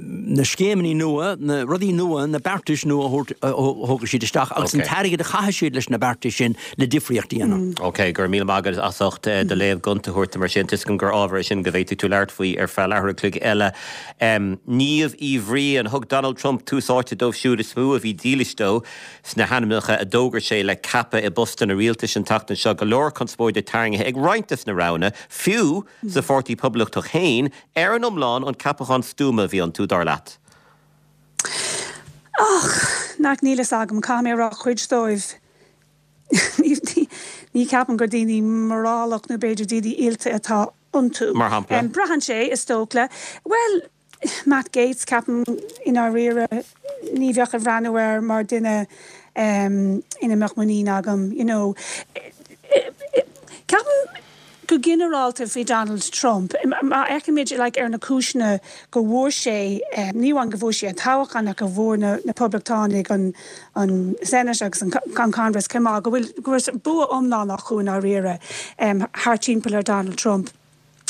na scéimeanna nua, na rudaí nua, na beartais nua a thabhairt a thógfaidh siad isteach agus an t-airgead a chaithfidh siad leis na beartais sin le difríocht a dhéanamh. Ok, go raibh míle maith agat as ucht do léamh gonta a thabhairt dom ar sin. Tá a fhios agam gur ábhar é sin go bhféadfadh tú labhairt faoi ar feadh leathuair a chloig eile. Niamh Uí Bhriain, Thug Donald Trump tús áite dóibh siúd is mó a bhí dílis dó sna hainmneacha a d'fhógair sé le ceapadh i bpostanna rialtais an tseachtain seo. Go leor conspóide tarraingthe ag roinnt des na roghanna, fiú sa Pháirtí Poblachtach féin. Ar an iomlán, an ceapachán stuama a bhí iontu, dar leat? Ach, nach, níl fhios agam. Caithfidh mé a rá cuid dóibh, ní cheapaim gur daoine morálach nó b'fhéidir daoine oilte atá iontu. Mar shampla? Braitheann sé, is dócha. Bhuel, Matt Gaetz, ceapaim, i ndáiríre, ní bheadh ag breathnú air mar duine ina mbeadh muinín agam, you know. Ceapaim go go ginearálta faoi Donald Trump, má fhéachaimid like, ar na cúiseanna go bhfuair sé um, ní amháin go bhfuair sé an toghchán ach go bhfuair na, na Poblachtánaigh an, an Senate agus an, an Congress chomh maith go bhfuil go bhfuil bua iomlán acu i ndáiríre um, thar timpeall ar Donald Trump.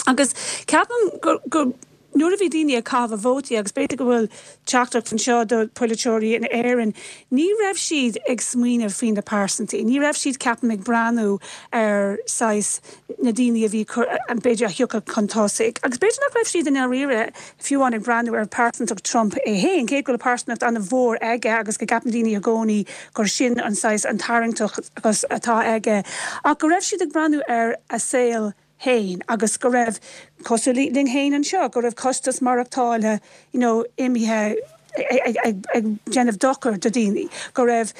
Agus ceapaim go, go nuair a bhí daoine ag caitheamh vótaí agus b'fhéidir go bhfuil teachtaireacht anseo do polaiteoirí in Éirinn, ní raibh siad ag smaoineamh faoi na pearsantaí. Ní raibh siad ceapaim ag breathnú ar saghas na daoine a bhí an b'fhéidir a thiocfadh chun tosaigh. Agus b'fhéidir nach raibh siad in dáiríre fiú amháin ag breathnú ar pearsantacht Trump é féin, cé go bhfuil pearsantacht an-mhór aige agus go gceapann daoine i gcónaí gur sin an saghas an tarraingteacht agus atá aige. Ach go raibh siad ag breathnú ar a saol féin agus go raibh cosúil linn féin anseo, go raibh costas maireachtála you know, imithe ag déanamh dochar do daoine, go raibh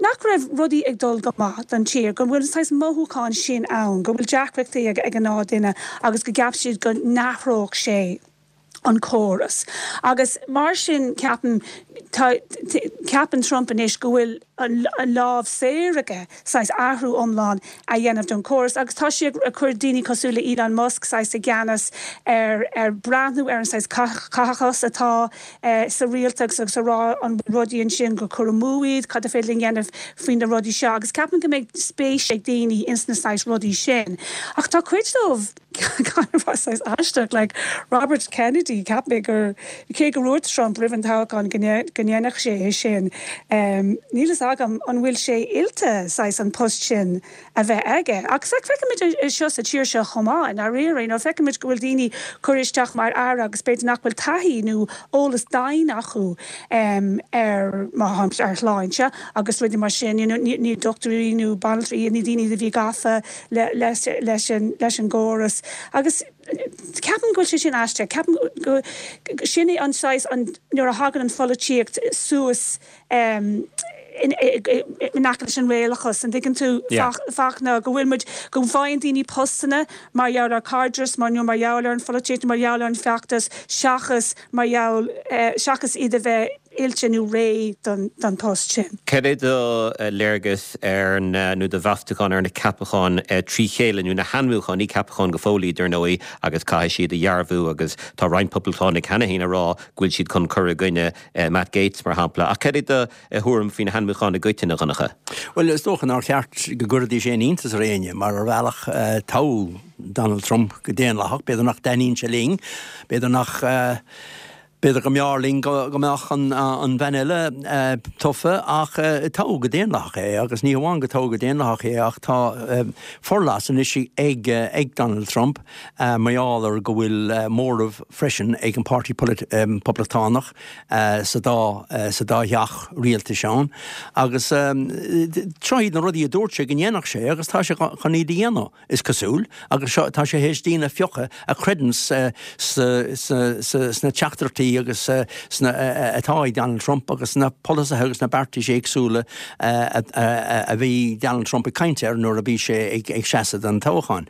nach raibh rudaí ag dul go maith don tír, go bhfuil saghas mothúchán sin ann, go bhfuil deacrachtaí ag ag an duine agus go gceap siad go n-athródh sé an córas. Agus mar sin ceapaim ceapann Trump anois go bhfuil an lámh saor aige saghas athrú iomlán a dhéanamh don córas, agus tá sé ag cur daoine cosúil le Elon Musk saghas i gceannas ar ar breathnú ar an saghas caitheachas atá eh, sa rialtas agus a rá an rudaí ansin gur cur amú iad cad is féidir linn dhéanamh faoin na rudaí seo, agus ceapaim go mbeidh spéis ag daoine ins na saghas rudaí sin. Ach tá cuid dóibh saghas aisteach like Robert Kennedy cheap mé gur cé go raibh Trump roimh an toghchán go ndéanfadh sé é sin. Um, Níl a fhios agam an bhfuil sé oilte saghas an post sin a bheith aige. Ach feicimid seo sa tír seo chomh maith na rií nó feicimid go bhfuil daoine curtha isteach mar aire agus b'fhéidir nach bhfuil taithí nó eolas dain acu um, ar mar ar shláinte agus rudaí mar sin you know, ní, ní dochtúirí nó banaltraí ní daoine a bhí gafa le, leis, leis, an, leis an gcóras. Agus ceapaim go bhfuil sé sin aisteach, ceapaim go sin é an saghas an nuair a thagann an pholaitíocht suas um, in leis an réalachas an dtuigeann tú fachna go bhfuil muid go bhfaigheann daoine postanna mar gheall ar cairdeas mar nó mar gheall ar an pholaitíocht mar gheall ar an feachtas seachas mar gheall eh, seachas iad a bheith oilte nó réidh don, don post sin. Cad é do léargas ar na nó do mheastachán ar na ceapacháin trí chéile nó na hainmniúcháin ní ceapacháin go fóill dar ndóigh agus caithfidh siad a dhearbhú agus tá roinnt poblachtánaigh cheana féin ag rá go bhfuil siad chun cur i gcoinne Matt Gaetz mar shampla. Ach cad é do thuairim faoi na hainmniúcháin i gcoitinne Dhonncha. Well is dócha nár cheart go gcuirfidís aon iontas ar éinne mar ar bhealach toghadh Donald Trump go daonlathach, b'fhéidir nach dtaitníonn sé linn, b'fhéidir nach uh, B'fhéidir go mb'fhearr linn go mbeadh an, an bhean eile uh, tofa ach uh, toghadh go daonlathach é agus ní hamháin go toghadh go daonlathach é ach tá uh, forleas anois ag, uh, ag Donald Trump uh, mar gheall ar go bhfuil uh, móramh freisin ag an Páirtí um, Poblachtánach uh, sa dá uh, sa dá theach rialtais ann agus um, seo iad na rudaí a dúirt sé go ndéanfadh sé agus tá sé chun iad a dhéanamh is cosúil agus tá sé théis daoine a phiocadh a chreideann uh, sna teachtaireachtaí agus uh, sna uh, atá ag Donald Trump agus na polasaithe agus na beartais éagsúla uh, a bhí Donald Trump ag caint air nuair a bhí sé ag, ag seasamh don toghchán.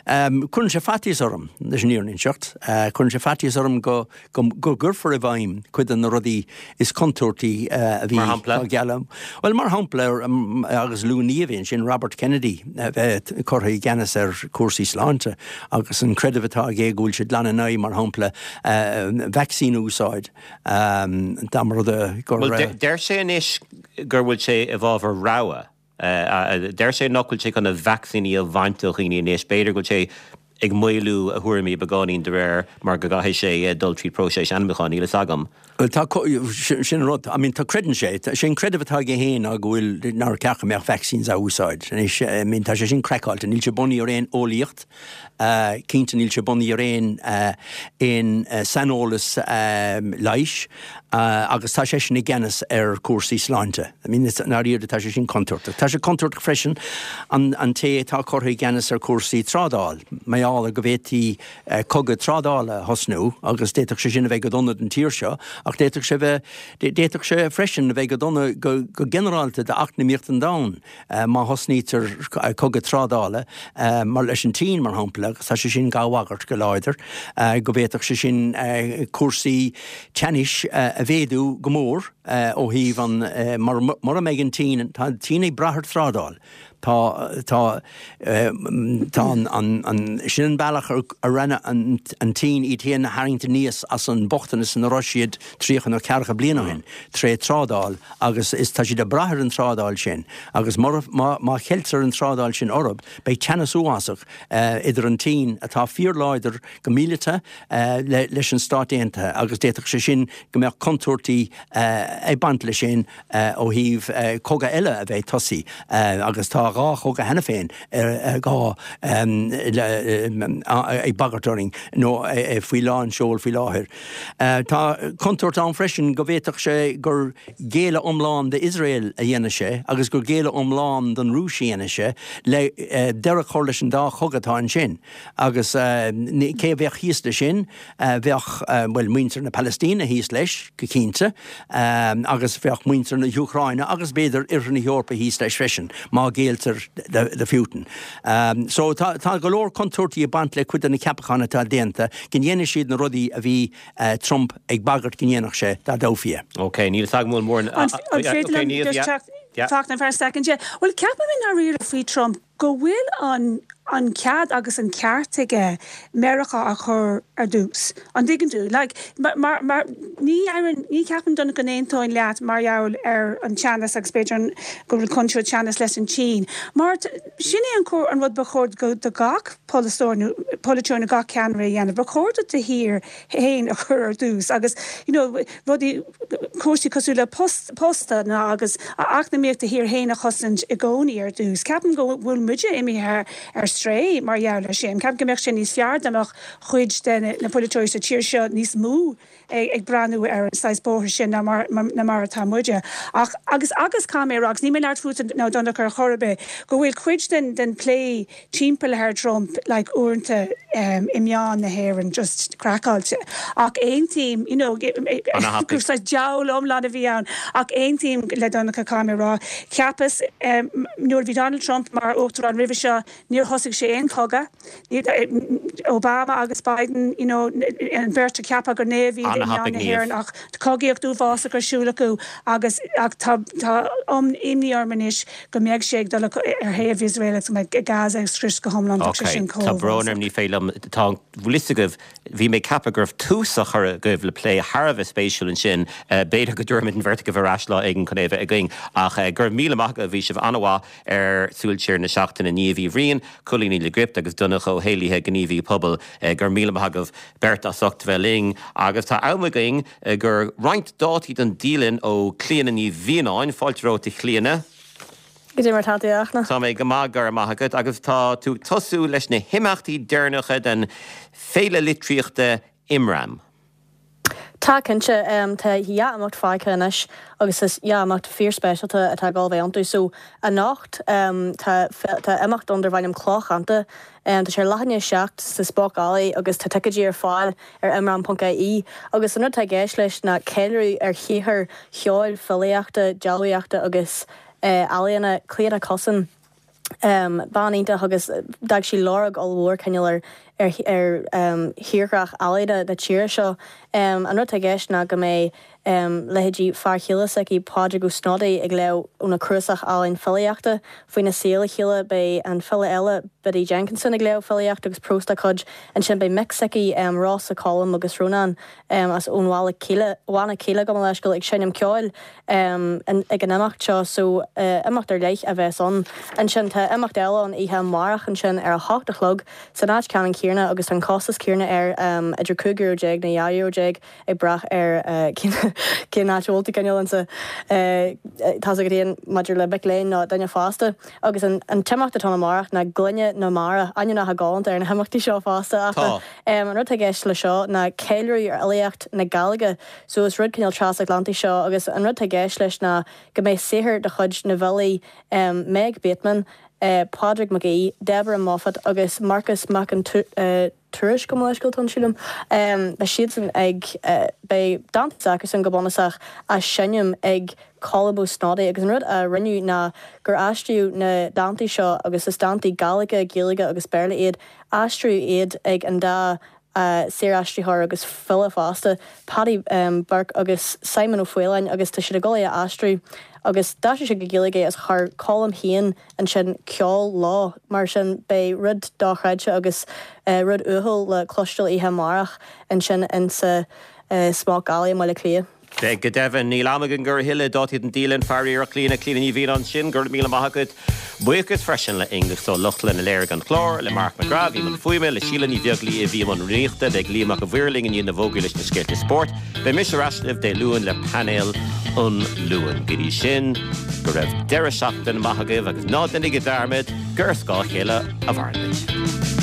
Um, Cuireann sé faitíos orm leis an fhírinne a inseacht, uh, Cuireann sé faitíos orm go go, go gcuirfear i bhfeidhm cuid de na rudaí is contúirtí uh, a bhí geall. Well mar shampla um, agus luaigh Niamh sin Robert Kennedy bheith curtha i gceannas ar cúrsaí sláinte agus an creideamh atá aige go bhfuil sé glan in aghaidh mar shampla uh, vaccine úsáid um, dá rud gur Deir sé anois gur bhfuil sé i bhfabhar rogha. Uh, deir sé nach bhfuil sé chun na vacsaíní a bhaint ó dhaoine anois b'fhéidir go bhfuil sé ag maolú a thuairimí beagáinín de réir mar go gcaithfidh sé dul trí próiseas ainmniúcháin níl a fhios agam. Tá sin rud I mean tá creideann sé sin creideamh atá aige féin ná go bhfuil nár cheart go mbeadh vaccines á úsáid. I mean tá sé sin craiceáilte, níl sé bunaithe ar aon eolaíocht, uh, cinnte níl sé bunaithe ar aon uh, aon uh, saineolas um, leighis uh, agus tá sé sin i gceannas ar cúrsaí sláinte. I mean nár tá sé sin contúirteach. Tá sé contúirteach freisin an, an té atá curtha i gceannas ar cúrsaí trádáil. Maiála go bhféadfaí uh, cogadh trádála a thosnú agus d'fhéadfadh sé sin a bheith go dona don tír seo, ach d'fhéadfadh sé bheith d'fhéadfadh sé freisin a bheith go dona go, go ginearálta d'eacnamaíocht an domhain uh, má thosnaítear cogadh trádála uh, mar leis an tSín mar shampla agus tá sé sin á bhagairt go láidir uh, go bhféadfadh sé sin uh, cúrsaí teannais uh, a mhéadú go mór uh, ó thaobh an uh, mar, mar a mbeidh an tSín tá tSín ag brath ar thrádáil. Tá tá tá an an sin an bealach a rinne an an tSín iad féin a tharraingt aníos as an bochtanas ina raibh siad tríocha nó ceathracha bliain ó shin tré trádáil agus is tá siad ag brath ar an trádáil sin agus má má cheiltear an trádáil sin orthu beidh teannas uafásach idir an tSín atá fíorláidir go míleata leis an Stát Aontaithe agus d'fhéadfadh sé sin go mbeadh contúirtí ag baint leis sin ó thaobh cogadh eile a bheith tosaithe agus tá dhá chogadh cheana féin dhá ag bagairt orainn nó faoi lán seoil faoi láthair. Tá contúirt ann freisin go bhféadfadh sé gur géilleadh iomlán d'Iosrael a dhéanfaidh sé agus gur géilleadh iomlán don Rúis a dhéanfaidh sé le deireadh a chur leis an dá chogadh atá ansin. Agus cé a bheadh thíos leis sin? Bheadh, bhuel, muintir na Palaistíne thíos leis, go cinnte, agus bheadh muintir na hÚcráine agus b'fhéidir Oirthear na hEorpa thíos leis freisin, má ghéilltear do Phutin. So tá tá go leor contúirtí ag baint le cuid de na ceapacháin atá déanta, go ndéanfaidh siad na rudaí a bhí Trump ag bagairt go ndéanfadh sé dá dtoghfaí é. Ok, níl a fhios agam an bhfuil mórán. An féidir liom just teacht teacht in for a second? Yeah. Bhuel, ceapaim i ndáiríre faoi Trump go bhfuil an an cead agus an ceart aige Meiriceá a chur ar dtús. An dtuigeann tú? Like, mar, mar, ní fheireann, ní cheapaim Donncha go n-aontóinn leat mar gheall ar an teannas agus b'fhéidir an, go bhfuil contúirt teannas leis an tSín. Mar sin é an cóir, an rud ba chóir go, do gach polaiteoir nó, polaiteoir nó gach ceannaire a dhéanamh. Ba chóir duit do thír féin a chur ar dtús agus, you know, rudaí, cúrsaí cosúil le post, postanna agus eacnamaíocht do thír féin a chosaint i gcónaí ar dtús. Ceapaim go bhfuil muide imithe ar strae mar gheall air sin. Ceapaim go mbeadh sé níos fearr dá mbeadh cuid de na polaiteoirí sa tír seo níos mó ag breathnú ar an saghas bóthar sin ná mar, ná mar atá muide. Ach, agus, agus caithfidh mé a rá, agus níl mé ag labhairt fút nó Donncha ar chor ar bith, go bhfuil cuid den, den plé timpeall ar Trump like uaireanta um, i meáin na hÉireann just craiceáilte. Ach aontaím, you know, gur saghas diabhal iomlán a bhí ann, ach aontaím le Donncha caithfidh mé a rá. Cheapas um, nuair a bhí Donald Trump mar uachtarán roimhe seo, níor thosaigh sé aon chogadh. Obama agus Biden, you know, an bheirt a ceapadh gur naoimh iad i meáin na hÉireann ach cogaíocht uafásach ar siúl acu agus ach tá tá imní orm anois go mbeidh sé ag dul ar thaobh Iosrael agus go mbeidh Gaza ag scrios go hiomlán. Tá sé sin Tá brón orm ní féidir liom tá bhfuil fhios agaibh bhí mé ag ceapadh go raibh tús á chur agaibh le plé thar a bheith spéisiúil ansin. B'fhéidir go dtabharfaimid an bheirt agaibh ar ais lá éigin chun é a bheith againn ach go raibh míle maith agaibh bhí sibh an-mhaith ar Súil Siar na Seachtaine Niamh Uí Bhriain, Cóilín Ní Lionáird agus Donncha Ó hÉallaithe gníomhaí pobail. Go raibh míle maith agaibh beirt as ucht bheith linn agus tá am againn do roinnt dátaí don dialann ó Clíona Ní Mhianáin. Fáilte romhat a Chlíona. Goidé mar tá tú a Fhachtna? Tá mé go maith, go raibh maith agat agus tá tú ag tosú leis na himeachtaí deireanacha den Féile Litríochta Imram. Tá cinnte tá dhá imeacht fágtha anois agus is dhá imeacht fíorspeisialta atá ag gabháil a bheith iontu. So anocht tá tá imeacht ann darb ainm Clochánta. Tá sé ar leath i ndiaidh a seacht sa Spoke Alley agus tá ticéidí ar fáil ar imram ponc ie agus an rud atá i gceist leis ná ceiliúradh ar shaothar cheoil, filíochta, dealbhaíochta agus ealaíona Clíodhna Cussen. Bean iontach agus d'fhág sí lorg ollmhór cineál ar ar ar thírdhreach ealaíne na tíre seo. An rud atá i gceist ná go mbeidh leithéidí fear chéile s'aici, Pádraig Ó Snodaigh, ag léamh óna cnuasach álainn filíochta faoina saol le chéile. Beidh an file eile, Biddy Jenkinson, ag léamh filíochta agus prós dá cuid. Ansin beidh mic s'aici, Rossa, Colm agus Rónán as ón Bhaile Cíle, Bhanna Cíle gabh mo leithscéal, ag seinm ceoil ag an imeacht seo. So imeacht ar leith a bheas ann. Ansin tá imeacht eile ann oíche amárach ansin ar a hocht a chlog san áit ceannann céanna agus tá an costas céanna air idir cúig euro déag nó dhá euro déag ag brath ar cén áit a bhfuil tú cineál insa tá a fhios agat féin maidir le mic léinn nó duine fásta. Agus an an t-imeacht atá ann amárach ná Gloine na Mara, ainmneacha galánta ar na himeachtaí seo fosta ach Tá. an rud atá i gceist le seo ná ceiliúradh ar fhilíocht na Gaeilge so is rud cineál trasatlantach seo agus an rud atá i gceist leis ná go mbeidh saothar de chuid na bhfilí Meg Bateman, Pádraig Mac Aoidh, Deborah Moffat agus Marcas Mac an Tuairisc gabh mo leithscéal tá sílim. Beidh siadsan ag beidh dánta s'acusan go bunúsach á seinm ag Colm Ó Snodaigh agus an rud a rinneadh ná gur aistríodh na dántaí seo agus is dántaí Gàidhlige, Gaeilge agus Béarla iad, aistríodh iad ag an dá Saoraistritheoir agus file fosta, Paddy Burke agus Simon Ó Faoláin agus tá siad ag dul é a aistriú agus d'aistrigh siad go Gaeilge é agus chuir Colm féin ansin ceol leo, mar sin beidh rud dochreidte agus rud uathúil le cloisteáil oíche amárach ansin insa Smock Alley i mBaile Átha Cliath. Beidh go deimhin. Níl am againn a thuilleadh. Dátaí don dialann, faraor. Clíona, Clíona Ní Mhianáin ansin, go raibh míle maith agat. Buíochas freisin le Aonghus Ó Lochlainn a léirigh an clár, le Mark McGrath a bhí i mbun fuaime, le Síle Ní Bheaglaoí a bhí i mbun rúnaíochta, beidh Liam Mac a' Mhaoir linn i ndiaidh na bhfógraí leis na scéalta spóirt. Beidh mise ar ais libh Dé Luain le painéal an Luain. Go dtí sin, go raibh deireadh seachtaine maith agaibh agus ná déanaigí dearmad gur ar scáth a chéile a mhaireann muid.